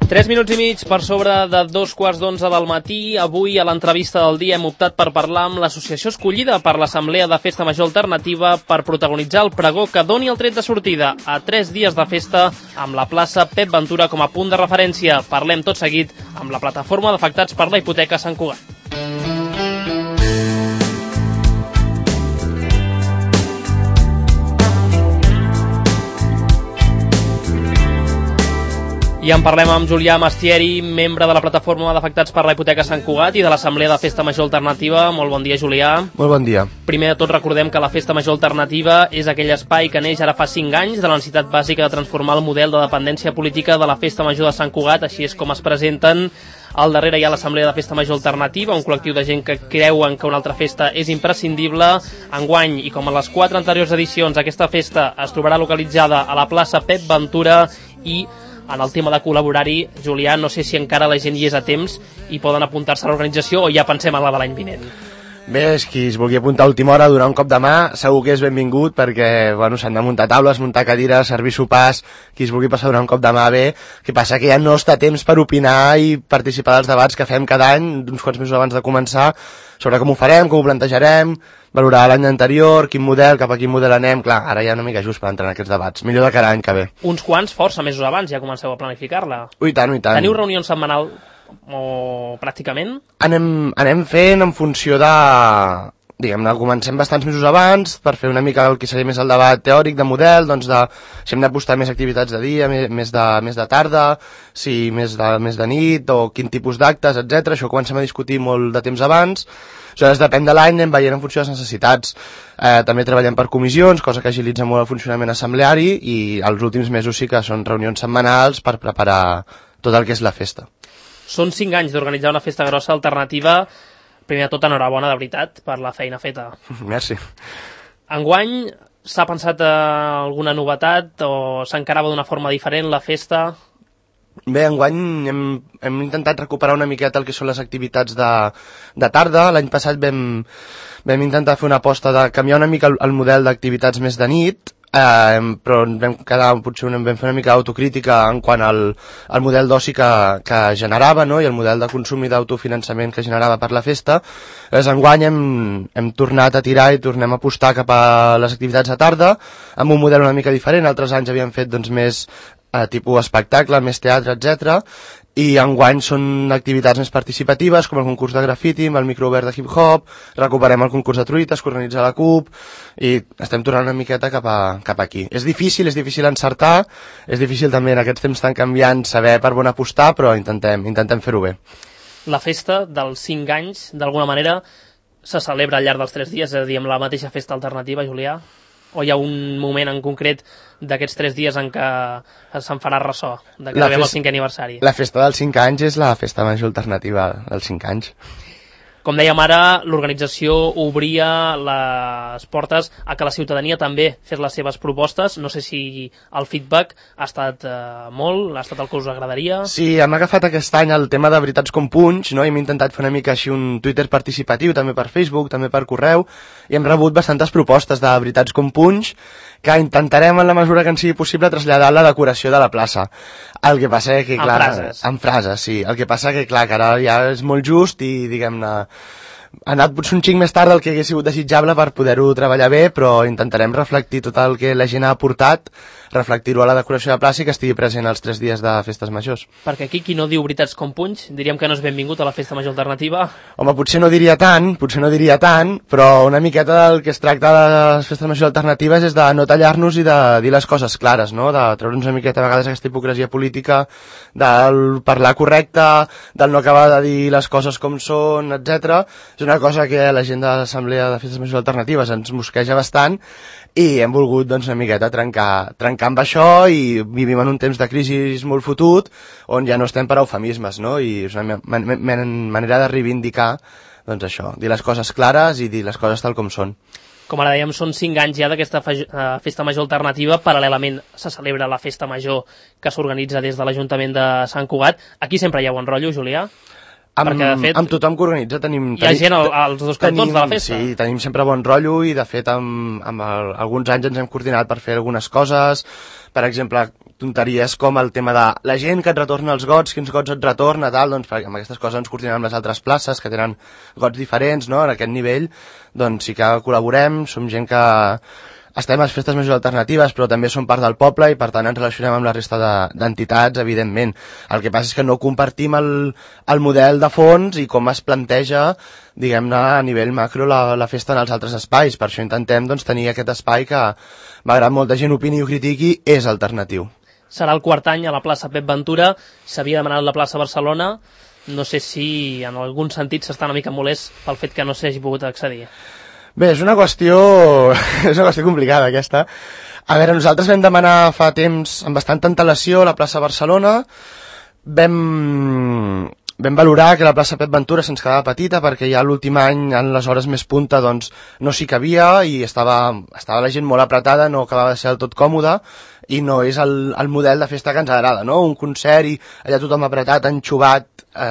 3 minuts i mig per sobre de 2:15 del matí. Avui, a l'entrevista del dia, hem optat per parlar amb l'associació escollida per l'Assemblea de Festa Major Alternativa per protagonitzar el pregó que doni el tret de sortida a 3 dies de festa amb la plaça Pep Ventura com a punt de referència. Parlem tot seguit amb la plataforma d'afectats per la hipoteca Sant Cugat. I en parlem amb Julià Mastieri, membre de la plataforma d'afectats per la hipoteca Sant Cugat i de l'Assemblea de Festa Major Alternativa. Molt bon dia, Julià. Molt bon dia. Primer de tot, recordem que la Festa Major Alternativa és aquell espai que neix ara fa 5 anys de la necessitat bàsica de transformar el model de dependència política de la Festa Major de Sant Cugat. Així és com es presenten. Al darrere hi ha l'Assemblea de Festa Major Alternativa, un col·lectiu de gent que creuen que una altra festa és imprescindible. Enguany, i com a les 4 anteriors edicions, aquesta festa es trobarà localitzada a la plaça Pep Ventura. I en el tema de col·laborar-hi, Julià, no sé si encara la gent hi és a temps i poden apuntar-se a l'organització o ja pensem en la de l'any vinent. Bé, qui es vulgui apuntar a última hora a donar un cop de mà, segur que és benvingut perquè s'han de muntar taules, muntar cadires, servir sopars, qui es vulgui passar a donar un cop de mà bé. Que passa que ja no està temps per opinar i participar dels debats que fem cada any, uns quants mesos abans de començar, sobre com ho farem, com ho plantejarem, valorar l'any anterior, quin model, cap a quin model anem. Clar, ara ja una mica just per entrar en aquests debats. Millor de cada any que ve. Uns quants, força mesos abans, ja comenceu a planificar-la. Ui, tant, ui, tant. Teniu reunions setmanal o pràcticament? Anem fent en funció de... Diguem-ne, comencem bastants mesos abans per fer una mica el que seria més el debat teòric de model, doncs si hem d'apostar més activitats de dia, més de tarda, si més de nit o quin tipus d'actes, etc. Això ho comencem a discutir molt de temps abans. Aleshores, depèn de l'any, anem veient en funció de les necessitats. També treballem per comissions, cosa que agilitza molt el funcionament assembleari, i els últims mesos sí que són reunions setmanals per preparar tot el que és la festa. Són 5 anys d'organitzar una festa grossa alternativa. Primer de tot, enhorabona, de veritat, per la feina feta. Merci. Enguany, s'ha pensat alguna novetat o s'encarava d'una forma diferent la festa? Bé, enguany hem intentat recuperar una miqueta el que són les activitats de tarda. L'any passat vam intentar fer una aposta de canviar una mica el model d'activitats més de nit, però potser vam fer una mica d'autocrítica en quant al model d'oci que generava, no? I el model de consum i d'autofinançament que generava per la festa. Llavors, enguany hem tornat a tirar i tornem a apostar cap a les activitats de tarda amb un model una mica diferent. Altres anys havíem fet més tipus espectacle, més teatre, etc. I enguany són activitats més participatives, com el concurs de grafiti, amb el microobert de hip-hop, recuperem el concurs de truites que organitza la CUP, i estem tornant una miqueta cap aquí. És difícil encertar, és difícil també en aquests temps tan canviants saber per on apostar, però intentem fer-ho bé. La festa dels 5 anys, d'alguna manera, se celebra al llarg dels 3 dies, és a dir, amb la mateixa festa alternativa, Julià? O hi ha un moment en concret d'aquests 3 dies en què se'n farà ressò, de que arribem al 5è aniversari? La festa dels 5 anys és la festa major alternativa dels 5 anys. Com dèiem ara, l'organització obria les portes a que la ciutadania també fes les seves propostes. No sé si el feedback ha estat molt, ha estat el que us agradaria. Sí, hem agafat aquest any el tema de Veritats com Punys, no? Hem intentat fer una mica així un Twitter participatiu, també per Facebook, també per correu, i hem rebut bastantes propostes de Veritats com Punys que intentarem, en la mesura que ens sigui possible, traslladar la decoració de la plaça. El que passa que, clar... En frases, sí. El que passa que, clar, que ara ja és molt just i, diguem-ne, ha anat potser un xic més tard del que hagués sigut desitjable per poder-ho treballar bé, però intentarem reflectir tot el que la gent ha aportat, reflectir-ho a la decoració de plaça i que estigui present els 3 dies de festes majors. Perquè aquí qui no diu Veritats com Punys, diríem que no és benvingut a la festa major alternativa. Home, potser no diria tant, però una miqueta del que es tracta de les festes majors alternatives és de no tallar-nos i de dir les coses clares, no? De treure'ns una miqueta a vegades aquesta hipocresia política, del parlar correcte, del no acabar de dir les coses com són, etc. És una cosa que la gent de l'Assemblea de Festes Majors Alternatives ens mosqueja bastant i hem volgut una miqueta trencar amb això, i vivim en un temps de crisi molt fotut on ja no estem per eufemismes, no? I és una manera de reivindicar això, dir les coses clares i dir les coses tal com són. Com ara dèiem, són 5 anys ja d'aquesta festa major alternativa. Paral·lelament se celebra la festa major que s'organitza des de l'Ajuntament de Sant Cugat. Aquí sempre hi ha bon rotllo, Julià? Amb tothom que organitza tenim... Hi ha gent als dos cantons de la festa. Sí, tenim sempre bon rotllo i de fet amb alguns anys ens hem coordinat per fer algunes coses. Per exemple, tonteries com el tema de la gent que et retorna els gots, quins gots et retorna, tal, doncs amb aquestes coses ens coordinem amb les altres places que tenen gots diferents, no?, en aquest nivell, doncs sí que col·laborem, som gent que estem a les festes majors alternatives, però també som part del poble i per tant ens relacionem amb la resta d'entitats, evidentment. El que passa és que no compartim el model de fons i com es planteja, diguem-ne, a nivell macro la festa en els altres espais. Per això intentem doncs, tenir aquest espai que, malgrat molta gent opini i ho critiqui, és alternatiu. Serà el quart any a la plaça Pep Ventura, s'havia demanat la plaça Barcelona, no sé si en algun sentit s'està una mica molest pel fet que no s'hagi pogut accedir. Bé, és una qüestió complicada aquesta. A veure, nosaltres vam demanar fa temps amb bastanta antelació la plaça Barcelona, vam valorar que la plaça Pep Ventura se'ns quedava petita perquè ja l'últim any, en les hores més punta, doncs no s'hi cabia i estava la gent molt apretada, no acabava de ser del tot còmode i no és el model de festa que ens agrada, no? Un concert i allà tothom apretat, enxuvat,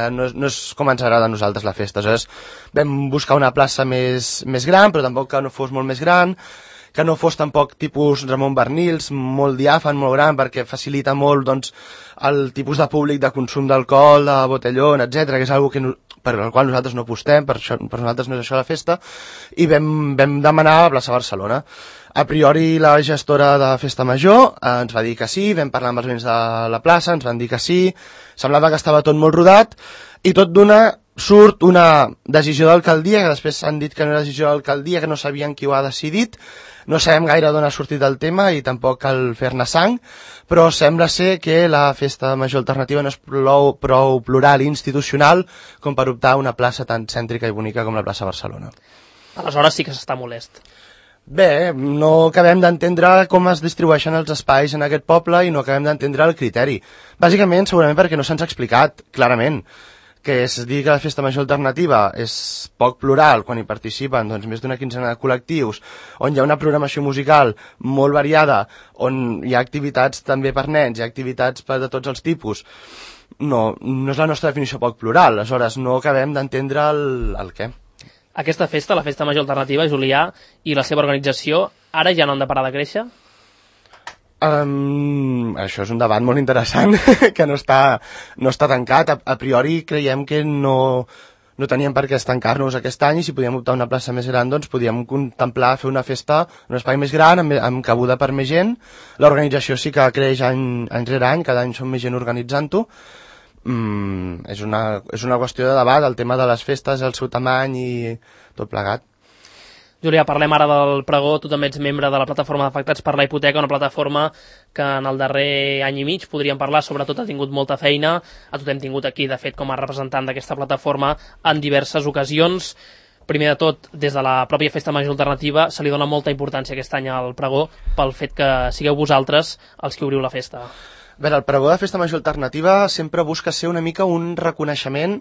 no és com ens agrada a nosaltres la festa. Aleshores vam buscar una plaça més gran, però tampoc que no fos molt més gran, que no fos tampoc tipus Ramon Bernils, molt diàfan, molt gran, perquè facilita molt doncs, el tipus de públic de consum d'alcohol, de botellón, etc, que és una cosa per la qual nosaltres no apostem, per nosaltres no és això la festa, i vam demanar a la plaça Barcelona. A priori la gestora de Festa Major ens va dir que sí, vam parlar amb els veïns de la plaça, ens van dir que sí, semblava que estava tot molt rodat, i tot d'una surt una decisió d'alcaldia, que després han dit que no era decisió d'alcaldia, que no sabien qui ho ha decidit, no sabem gaire d'on ha sortit el tema i tampoc cal fer-ne sang, però sembla ser que la Festa Major Alternativa no és prou plural i institucional com per optar a una plaça tan cèntrica i bonica com la plaça Barcelona. Aleshores sí que s'està molest. Bé, no acabem d'entendre com es distribueixen els espais en aquest poble i no acabem d'entendre el criteri. Bàsicament, segurament perquè no se'ns ha explicat clarament que es digui que la Festa Major Alternativa és poc plural quan hi participen doncs, més d'una quinzena de col·lectius, on hi ha una programació musical molt variada, on hi ha activitats també per nens, hi ha activitats de tots els tipus. No és la nostra definició poc plural, aleshores no acabem d'entendre el què. Aquesta festa, la Festa Major Alternativa, Julià, i la seva organització, ara ja no han de parar de créixer? Això és un debat molt interessant que no està tancat. A priori creiem que no teníem per què estancar-nos aquest any i si podíem optar a una plaça més gran doncs podíem contemplar fer una festa en un espai més gran, amb cabuda per més gent. L'organització sí que creix any rere any, cada any som més gent organitzant-ho. És una qüestió de debat, el tema de les festes, el seu tamany i tot plegat. Julià, parlem ara del pregó. Tu també ets membre de la plataforma d'afectats per la hipoteca, una plataforma que en el darrer any i mig, podríem parlar, sobretot ha tingut molta feina. A tu t'hem tingut aquí, de fet, com a representant d'aquesta plataforma en diverses ocasions. Primer de tot, des de la pròpia Festa Major Alternativa se li dona molta importància aquest any al pregó pel fet que sigueu vosaltres els que obriu la festa. Bé, el pregó de Festa Major Alternativa sempre busca ser una mica un reconeixement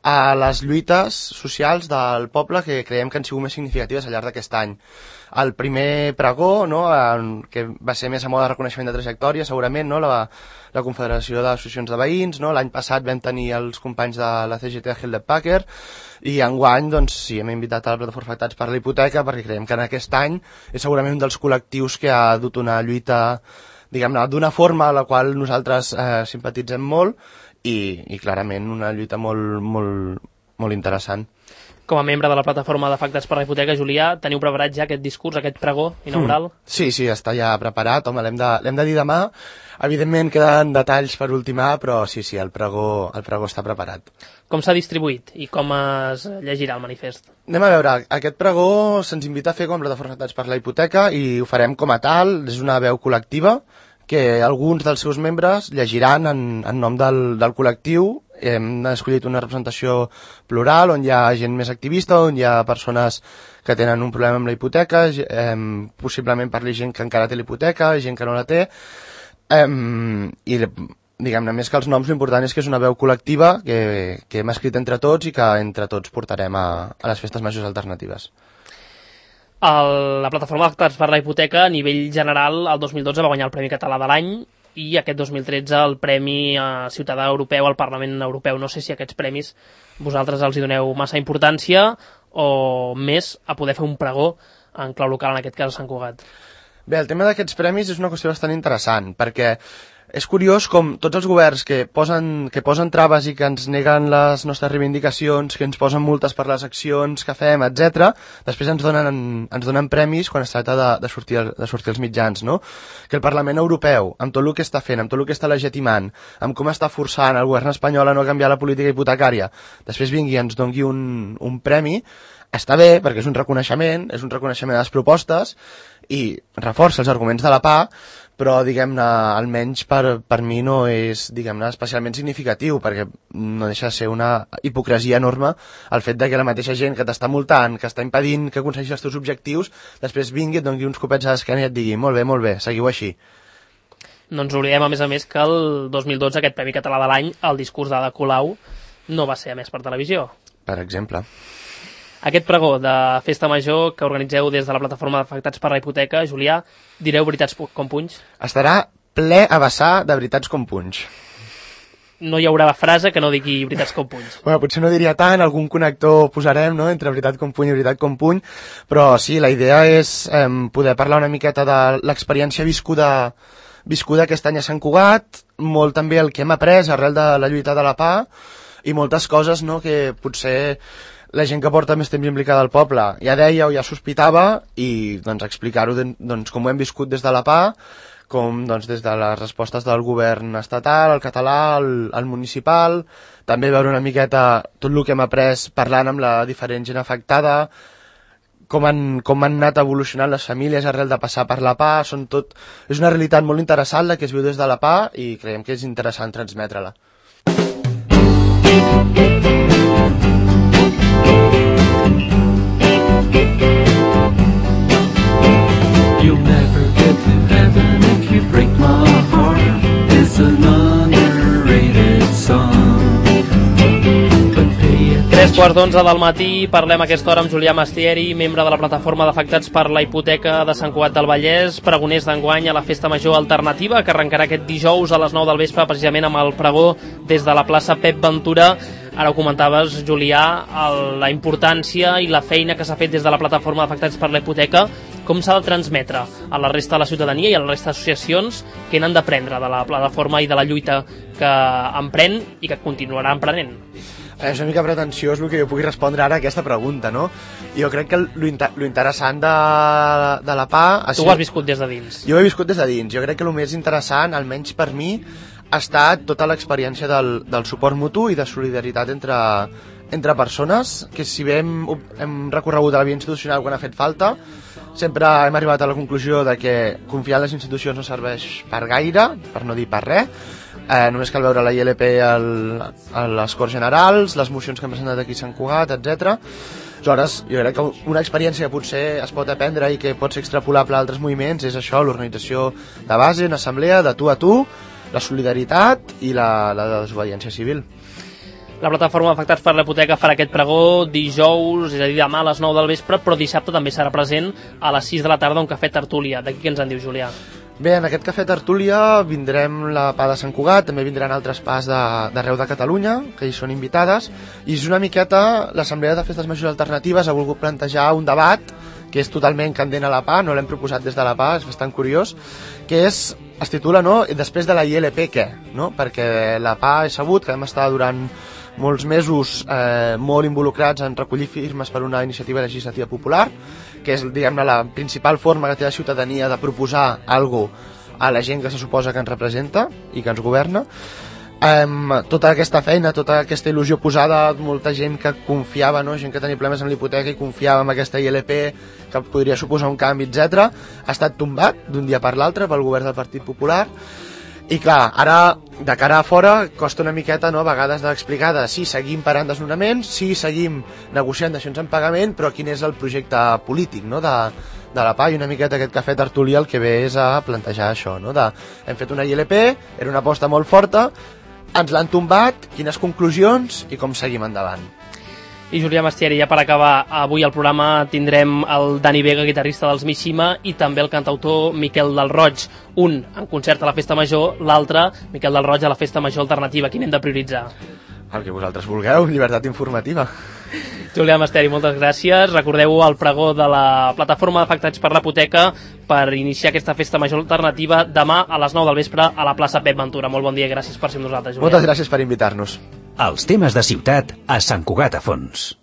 a les lluites socials del poble que creiem que han sigut més significatives al llarg d'aquest any. El primer pregó, no, que va ser més a mode de reconeixement de trajectòria, segurament, no, la Confederació d'Associacions de Veïns, no, l'any passat vam tenir els companys de la CGT de Hewlett Packard, i enguany doncs, sí, hem invitat a la plataforma Afectats per la Hipoteca perquè creiem que en aquest any és segurament un dels col·lectius que ha dut una lluita, diguem-ne, d'una forma a la qual nosaltres simpatitzem molt i clarament una lluita molt interessant. Com a membre de la plataforma d'afectats per la hipoteca, Julià, teniu preparat ja aquest discurs, aquest pregó inaugural? Sí, està ja preparat, home, l'hem de dir demà. Evidentment queden detalls per ultimar, però sí, el pregó està preparat. Com s'ha distribuït i com es llegirà el manifest? Anem a veure, aquest pregó se'ns invita a fer com a plataforma d'afectats per la hipoteca i ho farem com a tal, és una veu col·lectiva que alguns dels seus membres llegiran en nom del col·lectiu. Hem escollit una representació plural on hi ha gent més activista, on hi ha persones que tenen un problema amb la hipoteca, possiblement parli gent que encara té la hipoteca, gent que no la té, i diguem-ne, més que els noms, l'important és que és una veu col·lectiva que hem escrit entre tots i que entre tots portarem a les festes majors alternatives. La plataforma d'afectats per la hipoteca, a nivell general, el 2012 va guanyar el Premi Català de l'any i aquest 2013 el Premi Ciutadà Europeu al Parlament Europeu. No sé si aquests premis vosaltres els hi doneu massa importància o més a poder fer un pregó en clau local, en aquest cas a Sant Cugat. Bé, el tema d'aquests premis és una qüestió bastant interessant, perquè és curiós com tots els governs que posen traves i que ens neguen les nostres reivindicacions, que ens posen multes per les accions que fem, etc. Després ens donen premis quan es tracta de sortir als mitjans, no? Que el Parlament Europeu, amb tot el que està fent, amb tot el que està legitimant, amb com està forçant el govern espanyol a no canviar la política hipotecària, després vingui i ens doni un premi, està bé, perquè és un reconeixement a les propostes i reforça els arguments de la PA, però, diguem-ne, almenys per mi no és, diguem-ne, especialment significatiu, perquè no deixa de ser una hipocresia enorme el fet de que la mateixa gent que t'està multant, que està impedint que aconsegueixis els teus objectius, després vingui, et doni uns copets a l'esquena i et digui molt bé, seguiu així. No ens oblidem, a més, que el 2012 aquest Premi Català de l'any, el discurs d'Ada Colau, no va ser emès per televisió. Per exemple. Aquest pregó de Festa Major que organitzeu des de la plataforma d'afectats per la hipoteca, Julià, direu veritats com punys? Estarà ple a vessar de veritats com punys. No hi haurà frase que no digui veritats com punys. Bueno, potser no diria tant, algun connector posarem, no?, entre veritat com puny i veritat com puny, però sí, la idea és poder parlar una miqueta de l'experiència viscuda aquest any a Sant Cugat, molt també el que hem après arrel de la lluita de la PA i moltes coses, no?, que potser la gent que porta més temps implicada al poble ja deia o ja sospitava i doncs explicar-ho com ho hem viscut des de la PA, com doncs, des de les respostes del govern estatal, el català, el municipal, també veure una miqueta tot el que hem après parlant amb la diferent gent afectada, com han anat evolucionant les famílies arrel de passar per la PA, és una realitat molt interessant la que es viu des de la PA i creiem que és interessant transmetre-la. You'll never get to heaven if you break my heart. It's an underrated song. 3:15 del matí, parlem a aquesta hora amb Julià Mastieri, membre de la plataforma d'afectats per la hipoteca de Sant Cugat del Vallès, pregoners d'enguany a la Festa Major Alternativa, que arrencarà aquest dijous a les 9 del vespre, precisament amb el pregó des de la plaça Pep Ventura. Ara ho comentaves, Julià, la importància i la feina que s'ha fet des de la plataforma d'afectats per la hipoteca. Com s'ha de transmetre a la resta de la ciutadania i a la resta d'associacions que n'han d'aprendre de la plataforma i de la lluita que emprèn i que continuarà emprenent? És una mica pretensiós el que jo pugui respondre ara a aquesta pregunta, no? Jo crec que lo interessant de la PA... Tu ho has viscut des de dins. Jo ho he viscut des de dins. Jo crec que el més interessant, almenys per mi, ha estat tota l'experiència del suport mutu i de solidaritat entre persones, que si bé hem recorregut a la via institucional quan ha fet falta, sempre hem arribat a la conclusió de que confiar en les institucions no serveix per gaire, per no dir per res. Només cal veure la ILP a les Corts Generals, les mocions que hem presentat aquí a Sant Cugat, etc. Aleshores, jo crec que una experiència que potser es pot aprendre i que pot ser extrapolable a altres moviments és això, l'organització de base, en assemblea, de tu a tu, la solidaritat i la desobediència civil. La plataforma d'afectats per la hipoteca farà aquest pregó dijous, és a dir, demà a les 9 del vespre, però dissabte també serà present a les 6 de la tarda un cafè tertúlia. D'aquí què ens en diu, Julià? Bé, en aquest cafè tertúlia vindrem la PA de Sant Cugat, també vindran altres PAs d'arreu de Catalunya, que hi són invitades, i és una miqueta l'Assemblea de Festes Majors Alternatives ha volgut plantejar un debat que és totalment candent a la PA, no l'hem proposat des de la PA, és bastant curiós, que es titula, no?, després de la ILP què? No? Perquè la PA he sabut que vam estar durant molts mesos molt involucrats en recollir firmes per una iniciativa legislativa popular, que és, diguem-ne, la principal forma que té la ciutadania de proposar alguna cosa a la gent que se suposa que ens representa i que ens governa. Tota aquesta feina, tota aquesta il·lusió posada, molta gent que confiava, no? Gent que tenia problemes amb l'hipoteca i confiava en aquesta ILP que podria suposar un canvi, etc., ha estat tombat d'un dia per l'altre pel govern del Partit Popular. I clar, ara, de cara a fora, costa una miqueta, no?, a vegades d'explicar de si seguim parant desnonaments, si seguim negociant dacions en pagament, però quin és el projecte polític, no?, de la PA, i una miqueta aquest cafè tertúlia el que ve és a plantejar això, no?, hem fet una ILP, era una aposta molt forta, ens l'han tombat, quines conclusions i com seguim endavant. I Julià Mastieri, ja per acabar, avui al programa tindrem el Dani Vega, guitarrista dels Mishima, i també el cantautor Miquel del Roig, un en concert a la Festa Major, l'altre, Miquel del Roig, a la Festa Major Alternativa. Quin hem de prioritzar? El que vosaltres vulgueu, llibertat informativa. Julià Masteri, moltes gràcies. Recordeu el pregó de la plataforma d'afectats per la hipoteca per iniciar aquesta festa major alternativa demà a les 9 del vespre a la plaça Pep Ventura. Molt bon dia i gràcies per ser amb nosaltres, Julià. Moltes gràcies per invitar-nos. Els temes de ciutat a Sant Cugat a Fons.